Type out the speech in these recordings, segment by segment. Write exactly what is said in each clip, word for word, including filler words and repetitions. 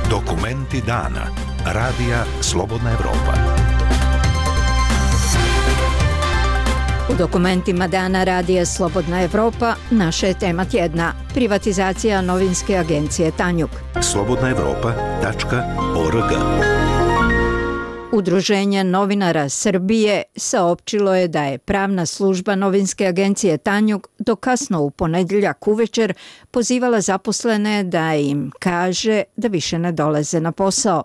Dokumenti dana. Radija Slobodna Evropa. U dokumentima dana Radija Slobodna Evropa naša je tema tjedna. Privatizacija novinske agencije Tanjug. slobodna evropa tačka org. Udruženje novinara Srbije saopćilo je da je pravna služba novinske agencije Tanjug do kasno u ponedjeljak uvečer pozivala zaposlene da im kaže da više ne dolaze na posao.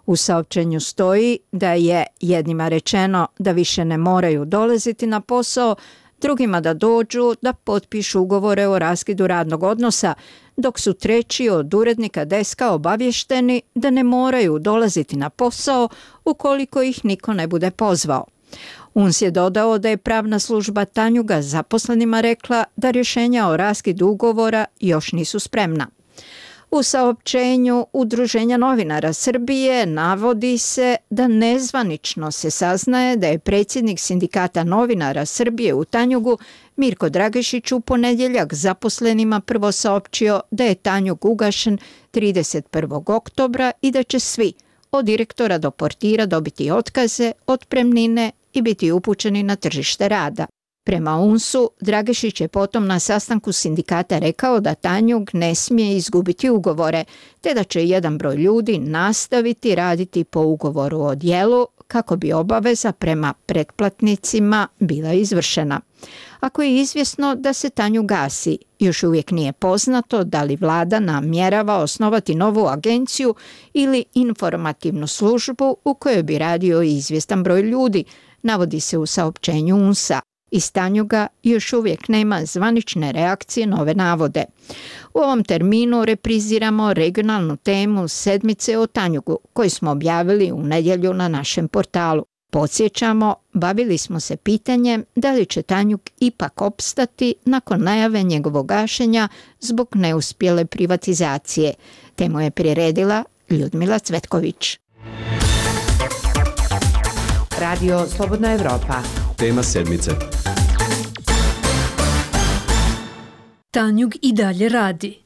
U saopćenju stoji da je jednima rečeno da više ne moraju dolaziti na posao, drugima da dođu da potpišu ugovore o raskidu radnog odnosa, dok su treći od urednika deska obavješteni da ne moraju dolaziti na posao ukoliko ih niko ne bude pozvao. U n s je dodao da je pravna služba Tanjuga zaposlenima rekla da rješenja o raskidu ugovora još nisu spremna. U saopćenju Udruženja novinara Srbije navodi se da nezvanično se saznaje da je predsjednik Sindikata novinara Srbije u Tanjugu Mirko Dragešić u ponedjeljak zaposlenima prvo saopćio da je Tanjug ugašen trideset prvog oktobra i da će svi, od direktora do portira, dobiti otkaze, otpremnine i biti upućeni na tržište rada. Prema U N S-u, Dragešić je potom na sastanku sindikata rekao da Tanjug ne smije izgubiti ugovore, te da će jedan broj ljudi nastaviti raditi po ugovoru o djelu kako bi obaveza prema pretplatnicima bila izvršena. Ako je izvjesno da se Tanjug gasi, još uvijek nije poznato da li vlada namjerava osnovati novu agenciju ili informativnu službu u kojoj bi radio izvjestan broj ljudi, navodi se u saopćenju U N S-a. Iz Tanjuga još uvijek nema zvanične reakcije na ove navode. U ovom terminu repriziramo regionalnu temu sedmice o Tanjugu koju smo objavili u nedjelju na našem portalu. Podsjećamo, bavili smo se pitanjem da li će Tanjug ipak opstati nakon najave njegovog gašenja zbog neuspjele privatizacije. Temu je priredila Ljudmila Cvetković. Radio Slobodna Evropa. Tema sedmice. Tanjug i dalje radi.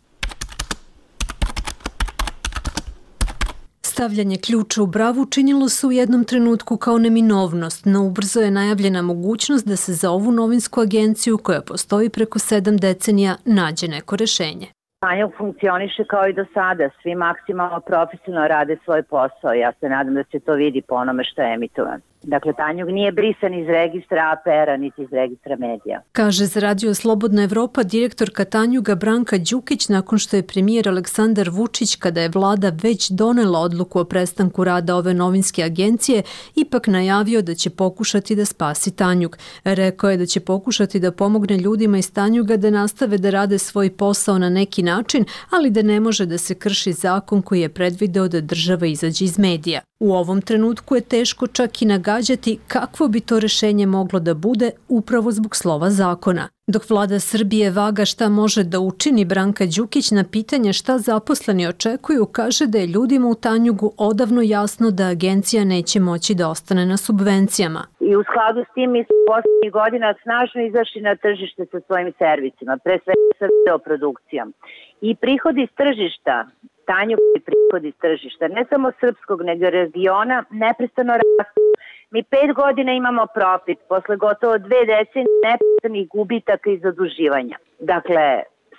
Stavljanje ključa u bravu činilo se u jednom trenutku kao neminovnost, no ubrzo je najavljena mogućnost da se za ovu novinsku agenciju, koja postoji preko sedam decenija, nađe neko rešenje. Tanjug funkcioniše kao i do sada, svi maksimalno profesionalno rade svoj posao. Ja se nadam da se to vidi po onome što je emitovan. Dakle, Tanjug nije brisan iz registra A P R-a niti iz registra medija. Kaže za Radio Slobodna Evropa direktorka Tanjuga Branka Đukić nakon što je premijer Aleksandar Vučić, kada je vlada već donela odluku o prestanku rada ove novinske agencije, ipak najavio da će pokušati da spasi Tanjug. Rekao je da će pokušati da pomogne ljudima iz Tanjuga da nastave da rade svoj posao na neki način, ali da ne može da se krši zakon koji je predvideo da država izađe iz medija. U ovom trenutku je teško čak i nagađati kakvo bi to rešenje moglo da bude upravo zbog slova zakona. Dok vlada Srbije vaga šta može da učini, Branka Đukić na pitanje šta zaposleni očekuju kaže da je ljudima u Tanjugu odavno jasno da agencija neće moći da ostane na subvencijama. I u skladu s tim mi smo posljednjih godina snažno izašli na tržište sa svojim servisima, pre svega sa videoprodukcijom. I prihodi iz tržišta, Tanjug i prihodi iz tržišta, ne samo srpskog nego regiona, neprestano rastu. Mi pet godina imamo profit, posle gotovo dve decenije neprestanih gubitaka i zaduživanja. Dakle,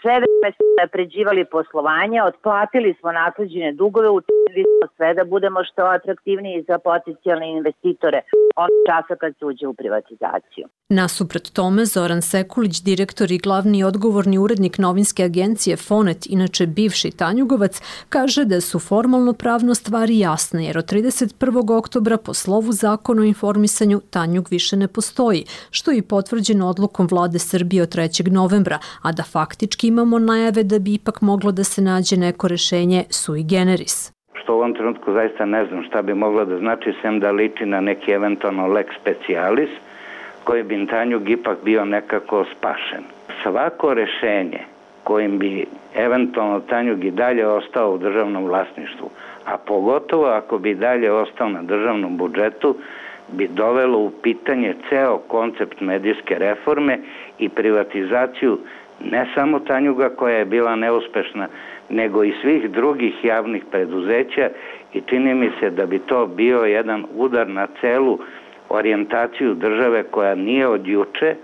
sve vreme smo napređivali poslovanje, otplatili smo nasleđene dugove, učinili smo sve da budemo što atraktivniji za potencijalne investitore od časa kad se uđe u privatizaciju. Nasuprot tome, Zoran Sekulić, direktor i glavni odgovorni urednik novinske agencije Fonet, inače bivši Tanjugovac, kaže da su formalno pravno stvari jasne, jer od trideset prvog oktobra po slovu zakona o informisanju Tanjug više ne postoji, što je i potvrđeno odlukom vlade Srbije od trećeg novembra, a da faktički imamo najave da bi ipak moglo da se nađe neko rešenje sui generis. Što u ovom trenutku zaista ne znam šta bi moglo da znači, sem da liči na neki eventualno lex specialis, koji bi Tanjug ipak bio nekako spašen. Svako rešenje kojim bi eventualno Tanjug i dalje ostao u državnom vlasništvu, a pogotovo ako bi dalje ostao na državnom budžetu, bi dovelo u pitanje ceo koncept medijske reforme i privatizaciju ne samo Tanjuga koja je bila neuspešna, nego i svih drugih javnih preduzeća i čini mi se da bi to bio jedan udar na celu orijentaciju države koja nije od juče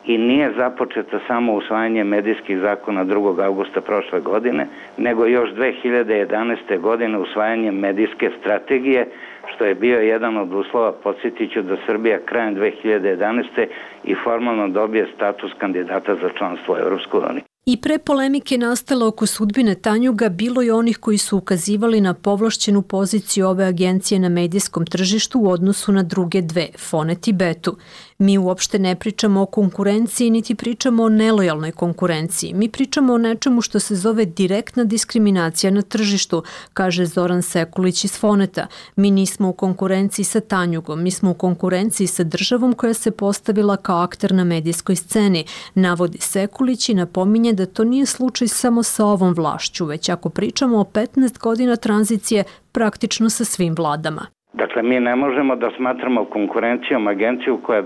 i nije započeta samo usvajanjem medijskih zakona drugog avgusta prošle godine, nego još dve hiljade jedanaeste. godine usvajanjem medijske strategije, što je bio jedan od uslova. Podsjetiću da Srbija krajem dve hiljade jedanaeste. i formalno dobije status kandidata za članstvo u Europskoj uniji. I pre polemike nastala oko sudbine Tanjuga bilo je onih koji su ukazivali na povlašćenu poziciju ove agencije na medijskom tržištu u odnosu na druge dve, Fonet i Betu. Mi uopšte ne pričamo o konkurenciji, niti pričamo o nelojalnoj konkurenciji. Mi pričamo o nečemu što se zove direktna diskriminacija na tržištu, kaže Zoran Sekulić iz Foneta. Mi nismo u konkurenciji sa Tanjugom, mi smo u konkurenciji sa državom koja se postavila kao akter na medijskoj sceni, navodi Sekulić i napominje da to nije slučaj samo sa ovom vlašću, već ako pričamo o petnaest godina tranzicije, praktično sa svim vladama. Dakle, mi ne možemo da smatramo konkurencijom agenciju koja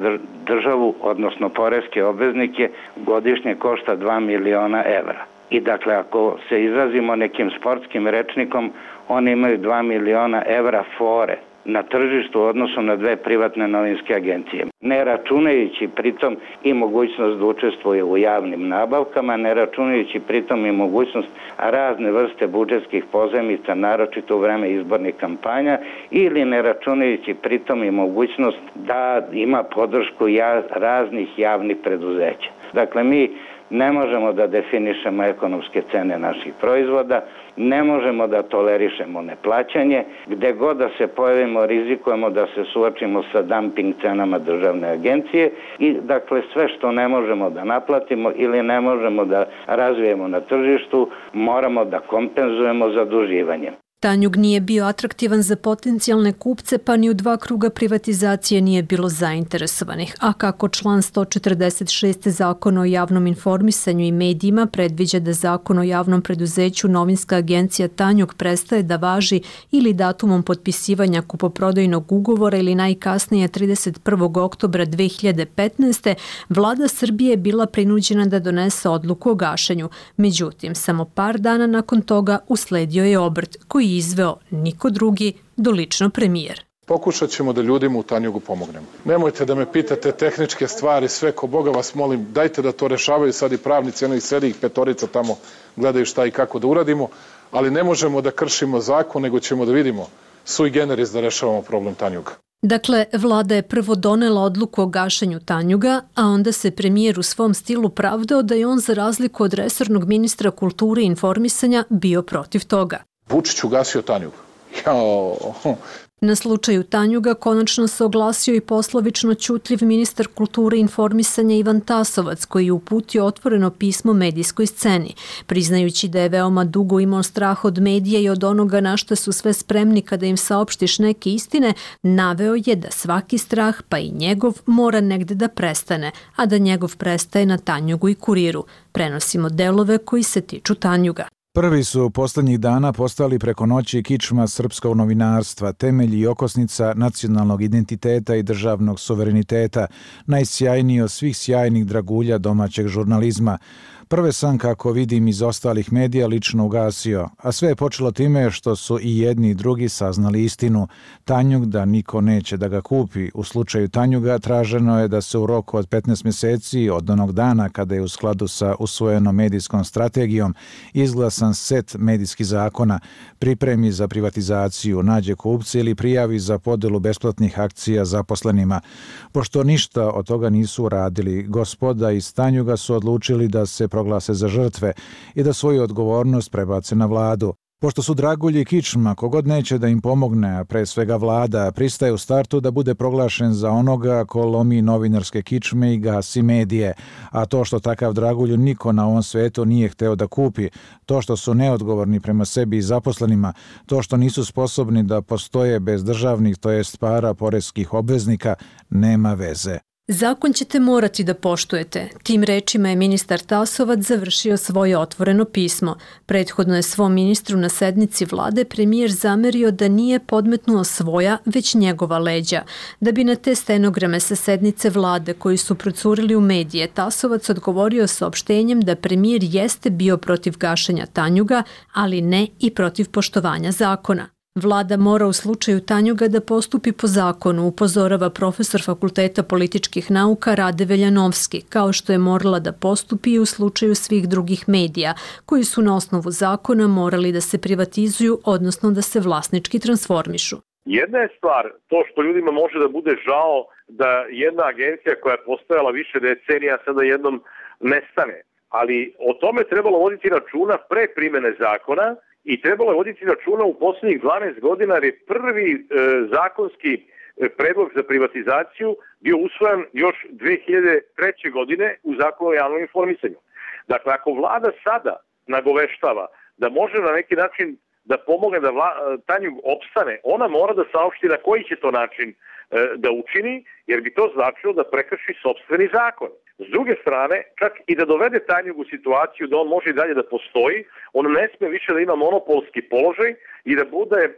državu, odnosno poreske obveznike, godišnje košta dva miliona evra. I dakle, ako se izrazimo nekim sportskim rečnikom, oni imaju dva miliona evra fore na tržištu u odnosu na dve privatne novinske agencije. Ne računajući pritom i mogućnost da učestvuje u javnim nabavkama, ne računajući pritom i mogućnost razne vrste budžetskih pozajmica, naročito u vreme izbornih kampanja, ili ne računajući pritom i mogućnost da ima podršku raznih javnih preduzeća. Dakle, mi ne možemo da definišemo ekonomske cene naših proizvoda, ne možemo da tolerišemo neplaćanje, gde god da se pojavimo rizikujemo da se suočimo sa dumping cenama državne agencije i dakle sve što ne možemo da naplatimo ili ne možemo da razvijemo na tržištu moramo da kompenzujemo zaduživanjem. Tanjug nije bio atraktivan za potencijalne kupce, pa ni u dva kruga privatizacije nije bilo zainteresovanih. A kako član sto četrdeset šest Zakona o javnom informisanju i medijima predviđa da Zakon o javnom preduzeću Novinska agencija Tanjug prestaje da važi ili datumom potpisivanja kupoprodajnog ugovora ili najkasnije trideset prvog oktobra dve hiljade petnaeste. vlada Srbije je bila prinuđena da donese odluku o gašenju. Međutim, samo par dana nakon toga usledio je obrt koji izveo niko drugi do lično premijer. Pokušat ćemo da ljudima u Tanjugu pomognemo. Nemojte da me pitate tehničke stvari, sve ko Boga vas molim, dajte da to rešavaju sad i pravnici, jedno i sedi ih petorica tamo, gledaju šta i kako da uradimo, ali ne možemo da kršimo zakon, nego ćemo da vidimo sui generis da rešavamo problem Tanjuga. Dakle, vlada je prvo donela odluku o gašenju Tanjuga, a onda se premijer u svom stilu pravdao da je on za razliku od resornog ministra kulture i informisanja bio protiv toga. Vučić ugasio Tanjug. Jao. Na slučaju Tanjuga konačno se oglasio i poslovično ćutljiv ministar kulture i informisanja Ivan Tasovac, koji je uputio otvoreno pismo medijskoj sceni. Priznajući da je veoma dugo imao strah od medija i od onoga na što su sve spremni kada im saopštiš neke istine, naveo je da svaki strah, pa i njegov, mora negde da prestane, a da njegov prestaje na Tanjugu i Kuriru. Prenosimo delove koji se tiču Tanjuga. Prvi su poslednjih dana postali preko noći kičma srpskog novinarstva, temelj i okosnica nacionalnog identiteta i državnog suvereniteta, najsjajniji od svih sjajnih dragulja domaćeg žurnalizma. Prve sam, kako vidim iz ostalih medija, lično ugasio, a sve je počelo time što su i jedni i drugi saznali istinu. Tanjug da niko neće da ga kupi. U slučaju Tanjuga traženo je da se u roku od petnaest mjeseci od onog dana kada je u skladu sa usvojenom medijskom strategijom izglasan set medijskih zakona, pripremi za privatizaciju, nađe kupce ili prijavi za podelu besplatnih akcija zaposlenima. Pošto ništa od toga nisu uradili, gospoda iz Tanjuga su odlučili da se proglase za žrtve i da svoju odgovornost prebace na vladu. Pošto su dragulji kičma, kogod neće da im pomogne, a pre svega vlada, pristaje u startu da bude proglašen za onoga ko lomi novinarske kičme i gasi medije. A to što takav dragulju niko na ovom svetu nije hteo da kupi, to što su neodgovorni prema sebi i zaposlenima, to što nisu sposobni da postoje bez državnih, to jest para poreskih obveznika, nema veze. Zakon ćete morati da poštujete. Tim rečima je ministar Tasovac završio svoje otvoreno pismo. Prethodno je svom ministru na sednici vlade premijer zamerio da nije podmetnuo svoja, već njegova leđa. Da bi na te stenograme sa sednice vlade koji su procurili u medije, Tasovac odgovorio saopštenjem da premijer jeste bio protiv gašenja Tanjuga, ali ne i protiv poštovanja zakona. Vlada mora u slučaju Tanjuga da postupi po zakonu, upozorava profesor Fakulteta političkih nauka Rade Veljanovski, kao što je morala da postupi i u slučaju svih drugih medija, koji su na osnovu zakona morali da se privatizuju, odnosno da se vlasnički transformišu. Jedna je stvar to što ljudima može da bude žao da jedna agencija koja je postojala više decenija sada jednom nestane, ali o tome trebalo voditi računa pre primene zakona. I trebalo je voditi računa u posljednjih dvanaest godina jer je prvi e, zakonski predlog za privatizaciju bio usvojen još dve hiljade treće. godine u Zakonu o javnom informisanju. Dakle, ako vlada sada nagoveštava da može na neki način da pomogne da vla, Tanjug opstane, ona mora da saopšti na koji će to način e, da učini, jer bi to značilo da prekrši sopstveni zakon. S druge strane, čak i da dovede Tanjug u situaciju da on može i dalje da postoji, on ne sme više da ima monopolski položaj i da bude e,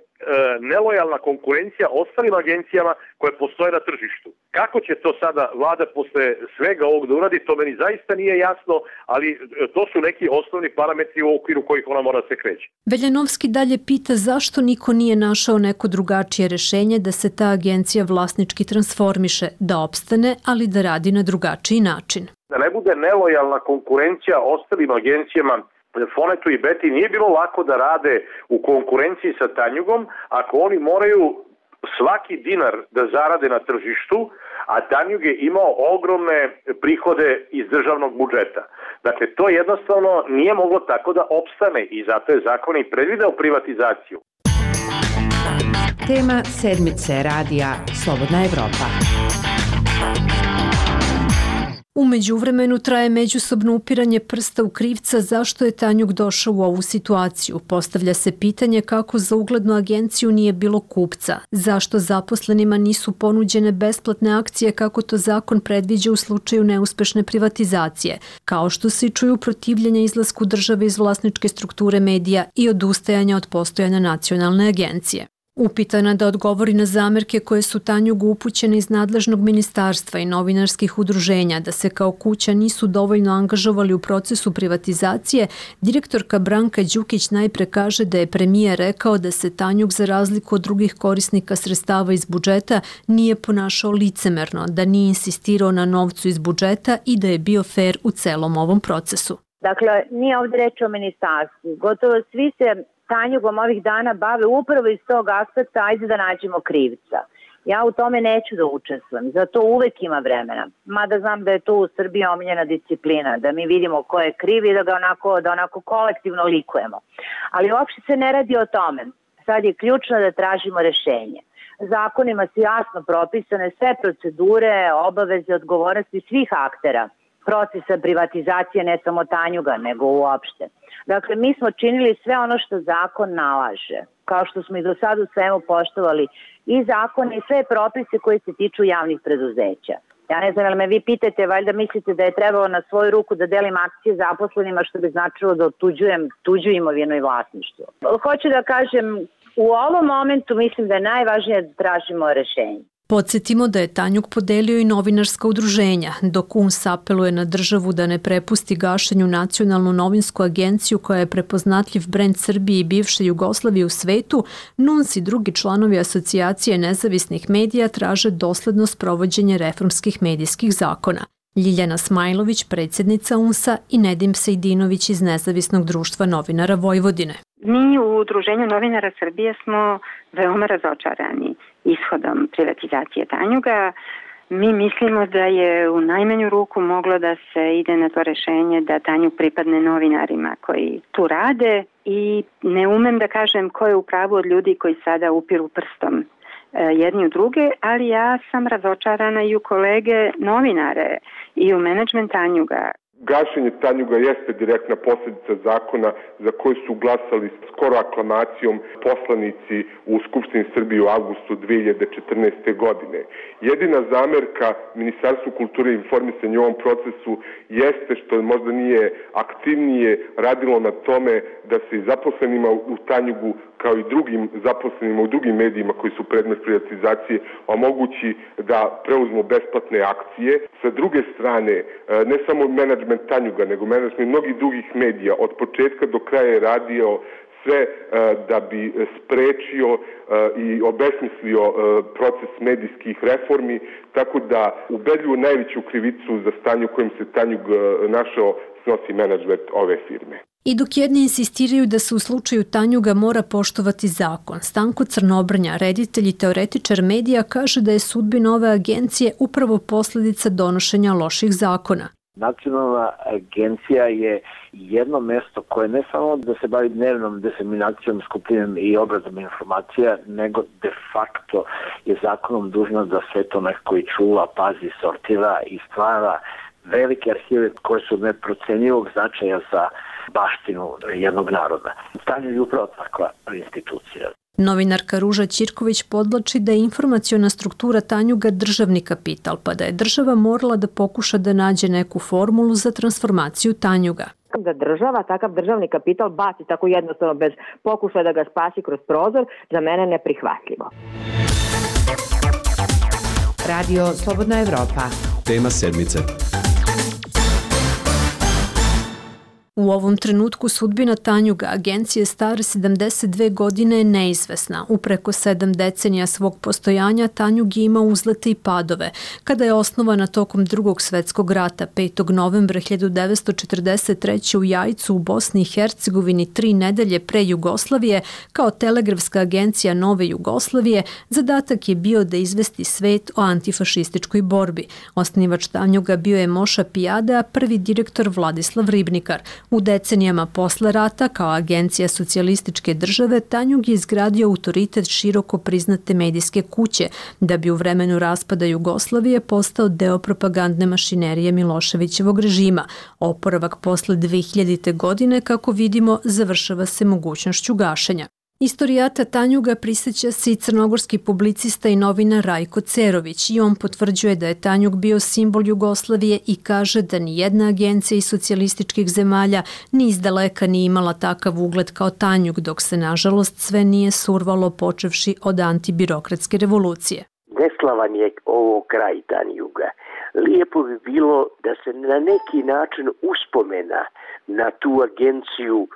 nelojalna konkurencija ostalim agencijama koje postoje na tržištu. Kako će to sada vlada posle svega ovog da uradi, to meni zaista nije jasno, ali to su neki osnovni parametri u okviru kojih ona mora da se kreće. Veljanovski dalje pita zašto niko nije našao neko drugačije rešenje da se ta agencija vlasnički transformiše, da opstane, ali da radi na drugačiji način. Da ne bude nelojalna konkurencija ostalim agencijama, Fonetu i Beti nije bilo lako da rade u konkurenciji sa Tanjugom ako oni moraju svaki dinar da zarade na tržištu, a Tanjug je imao ogromne prihode iz državnog budžeta. Dakle, to jednostavno nije moglo tako da opstane i zato je zakon i predvideo privatizaciju. Tema sedmice radija Slobodna Evropa. U međuvremenu traje međusobno upiranje prsta u krivca zašto je Tanjug došao u ovu situaciju. Postavlja se pitanje kako za uglednu agenciju nije bilo kupca, zašto zaposlenima nisu ponuđene besplatne akcije kako to zakon predviđa u slučaju neuspešne privatizacije, kao što se čuju protivljenja izlasku države iz vlasničke strukture medija i odustajanja od postojanja nacionalne agencije. Upitana da odgovori na zamerke koje su Tanjugu upućene iz nadležnog ministarstva i novinarskih udruženja da se kao kuća nisu dovoljno angažovali u procesu privatizacije, direktorka Branka Đukić najpre kaže da je premijer rekao da se Tanjug za razliku od drugih korisnika sredstava iz budžeta nije ponašao licemerno, da nije insistirao na novcu iz budžeta i da je bio fer u celom ovom procesu. Dakle, nije ovdje reč o ministarstvu. Gotovo svi se Tanjugom ovih dana bave upravo iz tog aspekta, ajde da nađemo krivca. Ja u tome neću da učestvujem, zato uvek ima vremena. Mada znam da je to u Srbiji omiljena disciplina, da mi vidimo ko je kriv i da ga onako, da onako kolektivno likujemo. Ali uopšte se ne radi o tome. Sad je ključno da tražimo rešenje. Zakonima su jasno propisane sve procedure, obaveze, odgovornosti svih aktera procesa privatizacije, ne samo Tanjuga, nego uopšte. Dakle, mi smo činili sve ono što zakon nalaže, kao što smo i do sada u svemu poštovali i zakone i sve propise koji se tiču javnih preduzeća. Ja ne znam, ali me vi pitate, valjda mislite da je trebalo na svoju ruku da delim akcije zaposlenima, što bi značilo da otuđujem tuđu imovinu i vlasništvo. Hoću da kažem, u ovom momentu mislim da je najvažnije da tražimo rešenje. Podsjetimo da je Tanjug podelio i novinarska udruženja, dok U N S apeluje na državu da ne prepusti gašenju nacionalnu novinsku agenciju koja je prepoznatljiv brend Srbije i bivše Jugoslavije u svetu, N U N S i drugi članovi Asocijacije nezavisnih medija traže dosledno sprovođenje reformskih medijskih zakona. Ljiljana Smajlović, predsjednica U N S-a i Nedim Sejdinović iz Nezavisnog društva novinara Vojvodine. Mi u Udruženju novinara Srbije smo veoma razočarani ishodom privatizacije Tanjuga. Mi mislimo da je u najmanju ruku moglo da se ide na to rešenje da Tanjug pripadne novinarima koji tu rade i ne umem da kažem ko je u pravu od ljudi koji sada upiru prstom jedni u druge, ali ja sam razočarana i u kolege novinare i u menadžment Tanjuga. Gašenje Tanjuga jeste direktna posljedica zakona za koji su glasali skoro aklamacijom poslanici u Skupštini Srbije u avgustu dve hiljade četrnaeste. godine. Jedina zamerka Ministarstvu kulture i informisanja u ovom procesu jeste što možda nije aktivnije radilo na tome da se i zaposlenima u Tanjugu kao i drugim zaposlenima u drugim medijima koji su predmet privatizacije omogući da preuzmu besplatne akcije. Sa druge strane, ne samo menadžment Tanjuga, nego menadžment mnogih drugih medija od početka do kraja je radio sve da bi sprečio i obesmislio proces medijskih reformi, tako da ubedljivo najveću krivicu za stanje u kojem se Tanjug našao snosi menadžment ove firme. I dok jedni insistiraju da se u slučaju Tanjuga mora poštovati zakon, Stanko Crnobrnja, reditelj i teoretičar medija, kaže da je sudbina ove agencije upravo posljedica donošenja loših zakona. Nacionalna agencija je jedno mesto koje ne samo da se bavi dnevnom diseminacijom, skupljanjem i obradom informacija, nego de facto je zakonom dužno da sve to neko i čuva, pazi, sortira i stvara velike arhive koje su neprocenjivog značaja za baštinu jednog naroda. Tanjug je upravo takva institucija. Novinarka Ruža Ćirković podlači da je informaciona struktura Tanjuga državni kapital, pa da je država morala da pokuša da nađe neku formulu za transformaciju Tanjuga. Da država takav državni kapital baci tako jednostavno bez pokušaja da ga spasi kroz prozor, za mene neprihvatljivo. Radio Slobodna Evropa. Tema sedmice. U ovom trenutku sudbina Tanjuga, agencije stare sedamdeset dve godine, je neizvesna. U preko sedam decenija svog postojanja Tanjug je imao uzlete i padove. Kada je osnovana tokom drugog svetskog rata, petog novembra hiljadu devetsto četrdeset treće. u Jajcu u Bosni i Hercegovini, tri nedelje pre Jugoslavije, kao telegrafska agencija Nove Jugoslavije, zadatak je bio da izvesti svet o antifašističkoj borbi. Osnivač Tanjuga bio je Moša Pijade, a prvi direktor Vladislav Ribnikar. U decenijama posle rata, kao agencija socijalističke države, Tanjug je izgradio autoritet široko priznate medijske kuće, da bi u vremenu raspada Jugoslavije postao deo propagandne mašinerije Miloševićevog režima. Oporavak posle dve hiljadite. godine, kako vidimo, završava se mogućnošću gašenja. Istorijata Tanjuga prisjeća se i crnogorski publicista i novinar Rajko Cerović i on potvrđuje da je Tanjug bio simbol Jugoslavije i kaže da ni jedna agencija iz socijalističkih zemalja ni izdaleka nije imala takav ugled kao Tanjug, dok se nažalost sve nije survalo počevši od antibirokratske revolucije. Neslavan je ovo kraj Tanjuga. Lijepo bi bilo da se na neki način uspomena na tu agenciju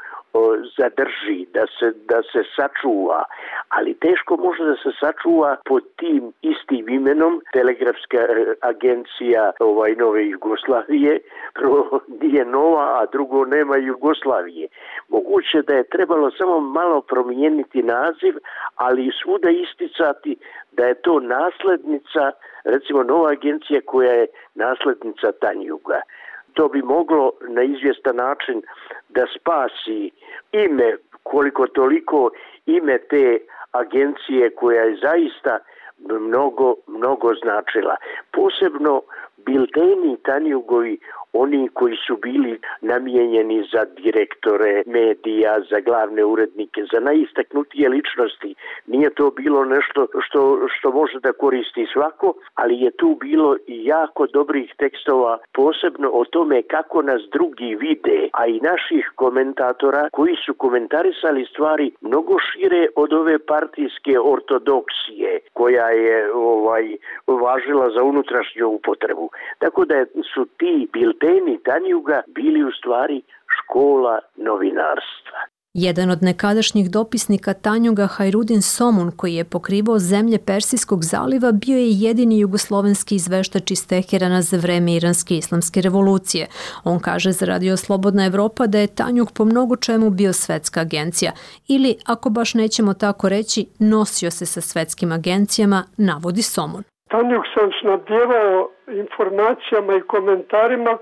zadrži, da se, da se sačuva, ali teško može da se sačuva pod tim istim imenom. Telegrafska agencija ovaj, Nove Jugoslavije, prvo nije nova, a drugo nema Jugoslavije. Moguće da je trebalo samo malo promijeniti naziv, ali svuda isticati da je to naslednica, recimo nova agencija koja je naslednica Tanjuga. To bi moglo na izvjestan način da spasi ime, koliko toliko ime te agencije koja je zaista mnogo, mnogo značila. Posebno bilteni Tanjugovi, oni koji su bili namijenjeni za direktore medija, za glavne urednike, za najistaknutije ličnosti. Nije to bilo nešto što, što može da koristi svako, ali je tu bilo i jako dobrih tekstova, posebno o tome kako nas drugi vide, a i naših komentatora koji su komentarisali stvari mnogo šire od ove partijske ortodoksije koja je ovaj važila za unutrašnju upotrebu. Tako da su ti bilteni Tanjuga bili u stvari škola novinarstva. Jedan od nekadašnjih dopisnika Tanjuga, Hajrudin Somun, koji je pokrivao zemlje Persijskog zaliva, bio je jedini jugoslovenski izveštač iz Teherana za vreme Iranske islamske revolucije. On kaže za Radio Slobodna Evropa da je Tanjug po mnogo čemu bio svetska agencija ili, ako baš nećemo tako reći, nosio se sa svetskim agencijama, navodi Somun. Tanjug sam snabdjevao informacijama i komentarima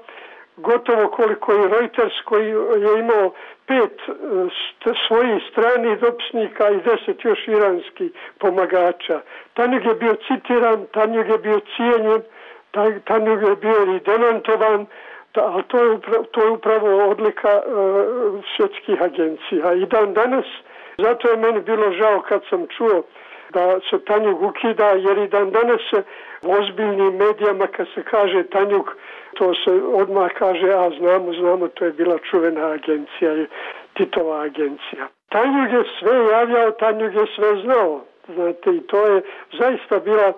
gotovo koliko i Reuters, koji je imao pet svojih stranih dopisnika i deset još iranskih pomagača. Tanjug je bio citiran, Tanjug je bio cijenjen, Tanjug je bio i demantovan. Da, ali to je upravo, to je upravo odlika uh, svjetskih agencija. I dan danas, zato je meni bilo žao kad sam čuo da se Tanjug ukida, jer i dan danas se u ozbiljnim medijama kad se kaže Tanjug, to se odmah kaže, a znamo, znamo, to je bila čuvena agencija, Titova agencija. Tanjug je sve javljao, Tanjug je sve znao, znate, i to je zaista bila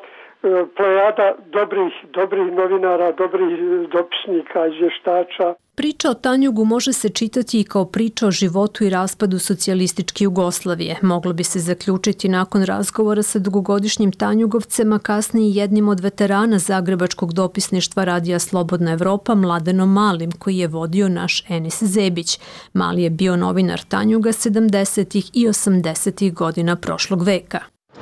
plejada dobrih, dobrih novinara, dobrih dopisnika, izvještača. Priča o Tanjugu može se čitati i kao priča o životu i raspadu socijalističke Jugoslavije. Moglo bi se zaključiti nakon razgovora sa dugogodišnjim Tanjugovcem, a kasnije jednim od veterana zagrebačkog dopisništva Radija Slobodna Evropa, Mladenom Malim, koji je vodio naš Enis Zebić. Mali je bio novinar Tanjuga sedamdesetih i osamdesetih godina prošlog veka.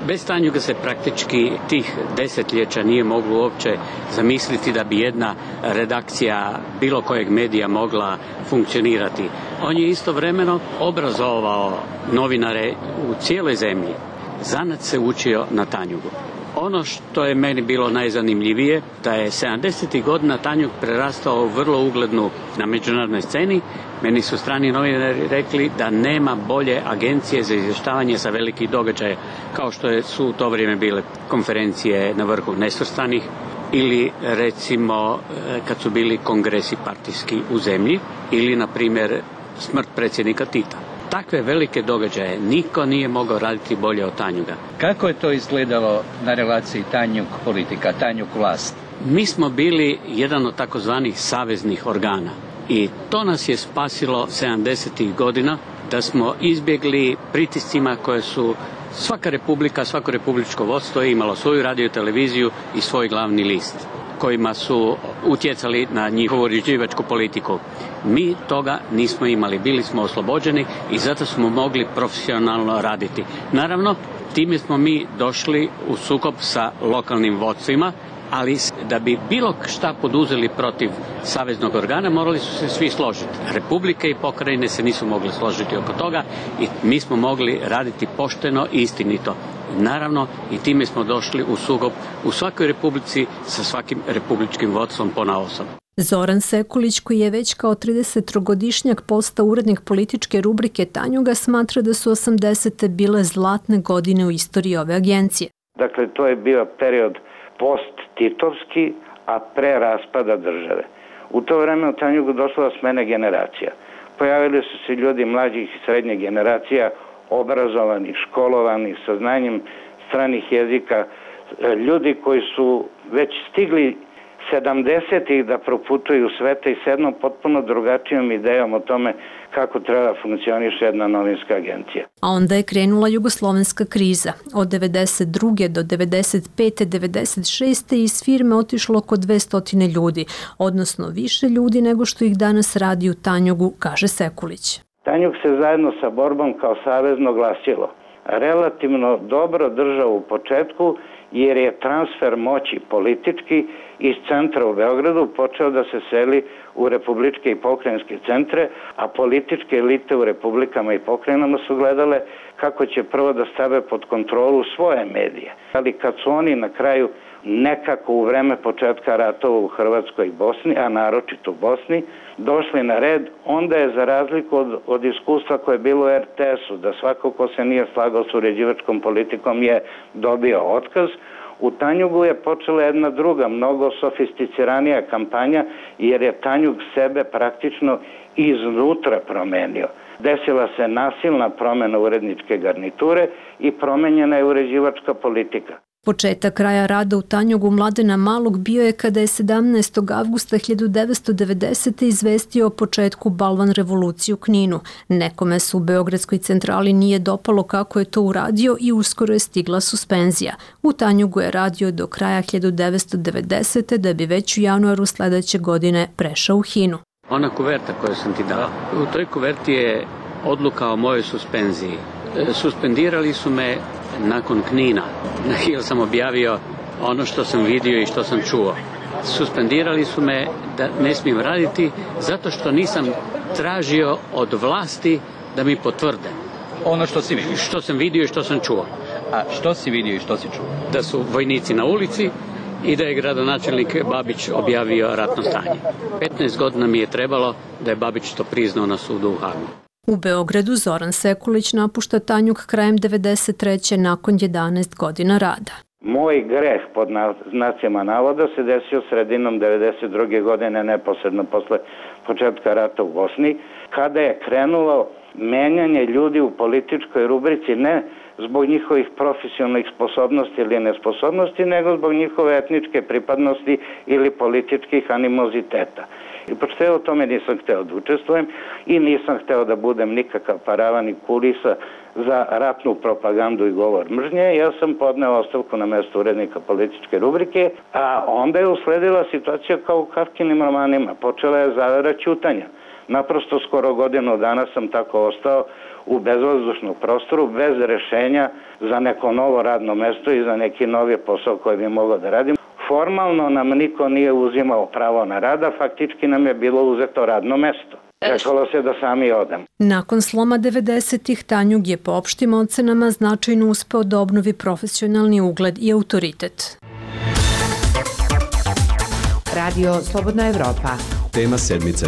Bez Tanjuga se praktički tih desetljeća nije moglo uopće zamisliti da bi jedna redakcija bilo kojeg medija mogla funkcionirati. On je istovremeno obrazovao novinare u cijeloj zemlji. Zanat se učio na Tanjugu. Ono što je meni bilo najzanimljivije, da je sedamdesetih godina Tanjug prerastao vrlo uglednu na međunarodnoj sceni. Meni su strani novinari rekli da nema bolje agencije za izvještavanje sa velikih događaja, kao što su u to vrijeme bile konferencije na vrhu nesvrstanih ili recimo kad su bili kongresi partijski u zemlji ili na primjer smrt predsjednika Tita. Takve velike događaje niko nije mogao raditi bolje od Tanjuga. Kako je to izgledalo na relaciji Tanjug politika, Tanjug vlast? Mi smo bili jedan od takozvanih saveznih organa i to nas je spasilo sedamdesetih godina da smo izbjegli pritiscima koje su svaka republika, svako republičko vodstvo je imalo svoju radio televiziju i svoj glavni list kojima su utjecali na njihovu uređivačku politiku. Mi toga nismo imali, bili smo oslobođeni i zato smo mogli profesionalno raditi. Naravno, time smo mi došli u sukob sa lokalnim vodstvima, ali da bi bilo šta poduzeli protiv saveznog organa morali su se svi složiti. Republike i pokrajine se nisu mogli složiti oko toga i mi smo mogli raditi pošteno i istinito. Naravno, i time smo došli u sukob u svakoj republici sa svakim republičkim vodstvom ponaosob. Zoran Sekulić, koji je već kao tridesettrogodišnjak postao urednik političke rubrike Tanjuga, smatra da su osamdesete bile zlatne godine u istoriji ove agencije. Dakle, to je bio period post-titovski, a pre raspada države. U to vreme u Tanjugu došla do smene generacija. Pojavili su se ljudi mlađih i srednjih generacija, obrazovani, školovani, sa znanjem stranih jezika, ljudi koji su već stigli sedamdesetih da proputuju sveta i s jednom potpuno drugačijom idejom o tome kako treba funkcioniše jedna novinska agencija. A onda je krenula jugoslovenska kriza. Od devedeset druge do devedeset pete devedeset šeste iz firme otišlo oko dvesta ljudi, odnosno više ljudi nego što ih danas radi u Tanjugu, kaže Sekulić. Tanjug se zajedno sa borbom kao savezno glasilo relativno dobro držao u početku, jer je transfer moći politički iz centra u Beogradu počeo da se seli u republičke i pokrajinske centre, a političke elite u republikama i pokrajinama su gledale kako će prvo da stave pod kontrolu svoje medije. Ali kad su oni na kraju nekako u vreme početka ratova u Hrvatskoj i Bosni, a naročito u Bosni, došli na red, onda je za razliku od, od iskustva koje je bilo u er te esu, da svako ko se nije slagao s uređivačkom politikom je dobio otkaz, u Tanjugu je počela jedna druga, mnogo sofisticiranija kampanja, jer je Tanjug sebe praktično iznutra promenio. Desila se nasilna promjena uredničke garniture i promenjena je uređivačka politika. Početak kraja rada u Tanjugu Mladena Malog bio je kada je sedamnaestog avgusta hiljadu devetsto devedesete. izvestio o početku balvan revolucije u Kninu. Nekome se u Beogradskoj centrali nije dopalo kako je to uradio i uskoro je stigla suspenzija. U Tanjugu je radio do kraja hiljadu devetsto devedesete. da bi već u januaru sledeće godine prešao u Hinu. Ona kuverta koju sam ti dao, u toj kuverti je odluka o mojoj suspenziji. Suspendirali su me nakon Knina, jer sam objavio ono što sam vidio i što sam čuo. Suspendirali su me da ne smijem raditi zato što nisam tražio od vlasti da mi potvrde. Ono što si vidio? Što sam vidio i što sam čuo. A što si vidio i što si čuo? Da su vojnici na ulici i da je gradonačelnik Babić objavio ratno stanje. petnaest godina mi je trebalo da je Babić to priznao na sudu u Hagu. U Beogradu Zoran Sekulić napušta Tanjug krajem devedeset treće nakon jedanaest godina rada. Moj greh pod znacima navoda se desio sredinom devedeset druge godine, neposredno posle početka rata u Bosni, kada je krenulo menjanje ljudi u političkoj rubrici ne zbog njihovih profesionalnih sposobnosti ili nesposobnosti, nego zbog njihove etničke pripadnosti ili političkih animoziteta. I pošto ja o tome nisam hteo da učestvujem i nisam hteo da budem nikakav paravan i kulisa za ratnu propagandu i govor mržnje, ja sam podneo ostavku na mesto urednika političke rubrike, a onda je usledila situacija kao u Kafkinim romanima. Počela je zavera ćutanja. Naprosto skoro godinu dana sam tako ostao u bezvazdušnom prostoru, bez rešenja za neko novo radno mesto i za neki novi posao koji bi mogao da radim. Formalno nam niko nije uzimao pravo na rada, faktički nam je bilo uzeto radno mesto. Čekalo se da sami odem. Nakon sloma devedesetih Tanjug je po opštim ocenama značajno uspeo da obnovi profesionalni ugled i autoritet. Radio Slobodna Evropa. Tema sedmice.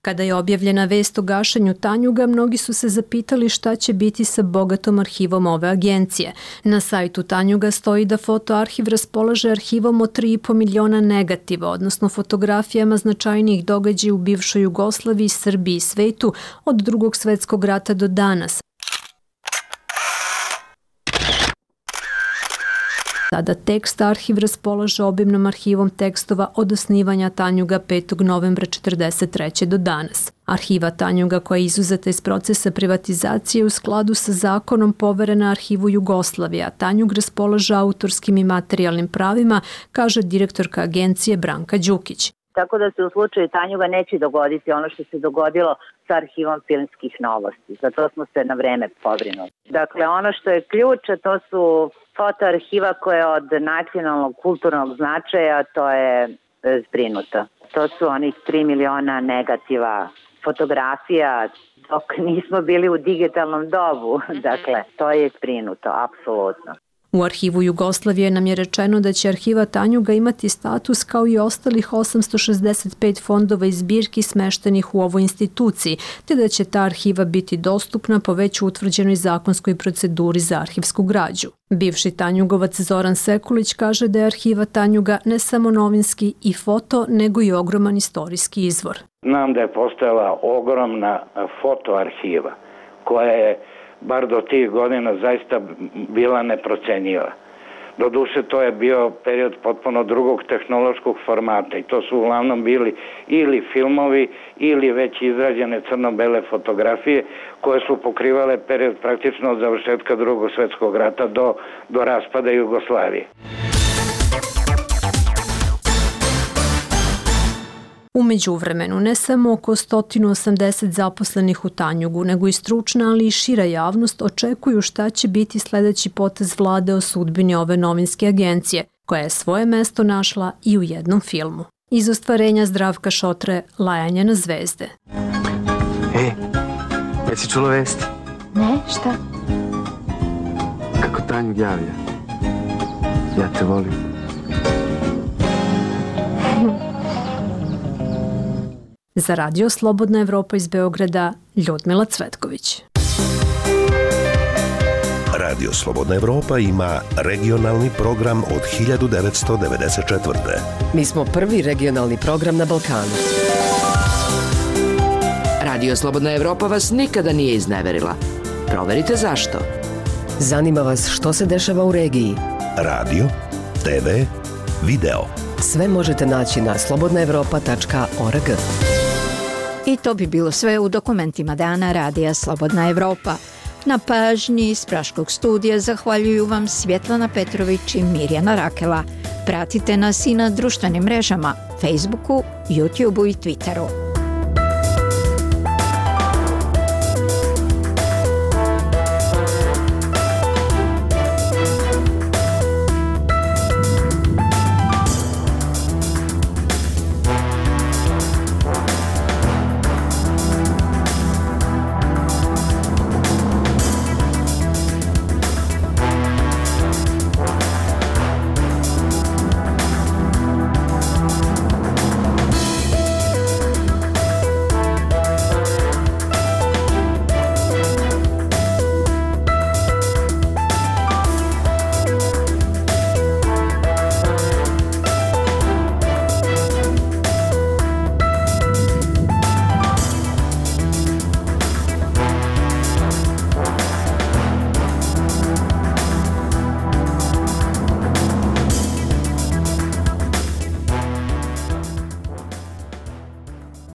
Kada je objavljena vest o gašenju Tanjuga, mnogi su se zapitali šta će biti sa bogatom arhivom ove agencije. Na sajtu Tanjuga stoji da fotoarhiv raspolaže arhivom od tri i po miliona negativa, odnosno fotografijama značajnijih događaja u bivšoj Jugoslaviji, Srbiji i svetu od Drugog svetskog rata do danas. Sada tekst arhiv raspolaže obimnom arhivom tekstova od osnivanja Tanjuga petog novembra četrdeset treće do danas. Arhiva Tanjuga koja je izuzeta iz procesa privatizacije u skladu sa zakonom poverena arhivu Jugoslavije, a Tanjug raspolaže autorskim i materijalnim pravima, kaže direktorka agencije Branka Đukić. Tako da se u slučaju Tanjuga neće dogoditi ono što se dogodilo sa arhivom filmskih novosti. Za to smo se na vreme pobrinuli. Dakle, ono što je ključ, to su fotoarhiva koja je od nacionalnog kulturnog značaja, to je zbrinuto. To su onih tri miliona negativa fotografija dok nismo bili u digitalnom dobu. Dakle, to je zbrinuto, apsolutno. U arhivu Jugoslavije nam je rečeno da će arhiva Tanjuga imati status kao i ostalih osamsto šezdeset pet fondova i zbirki smeštenih u ovoj instituciji, te da će ta arhiva biti dostupna po već utvrđenoj zakonskoj proceduri za arhivsku građu. Bivši Tanjugovac Zoran Sekulić kaže da je arhiva Tanjuga ne samo novinski i foto, nego i ogroman istorijski izvor. Znam da je postojala ogromna fotoarhiva koja je bar do tih godina zaista bila neprocenjiva. Doduše, to je bio period potpuno drugog tehnološkog formata i to su uglavnom bili ili filmovi ili već izrađene crno-bele fotografije koje su pokrivale period praktično od završetka Drugog svetskog rata do, do raspada Jugoslavije. U međuvremenu, ne samo oko sto osamdeset zaposlenih u Tanjugu, nego i stručna, ali i šira javnost očekuju šta će biti sledeći potez vlade o sudbini ove novinske agencije, koja je svoje mesto našla i u jednom filmu. Iz ostvarenja Zdravka Šotre, Lajanje na zvezde. E, jesi čula vesti? Ne, šta? Kako Tanjug javlja. Ja te volim. Za Radio Slobodna Evropa iz Beograda, Ljudmila Cvetković. Radio Slobodna Evropa ima regionalni program od hiljadu devetsto devedeset četvrte. Mi smo prvi regionalni program na Balkanu. Radio Slobodna Evropa vas nikada nije izneverila. Proverite zašto. Zanima vas što se dešava u regiji. Radio, te ve, video. Sve možete naći na slobodna evropa tačka org. I to bi bilo sve u dokumentima dana Radija Slobodna Evropa. Na pažnji iz Praškog studija zahvaljuju vam Svjetlana Petrović i Mirjana Rakela. Pratite nas i na društvenim mrežama, Facebooku, YouTubeu i Twitteru.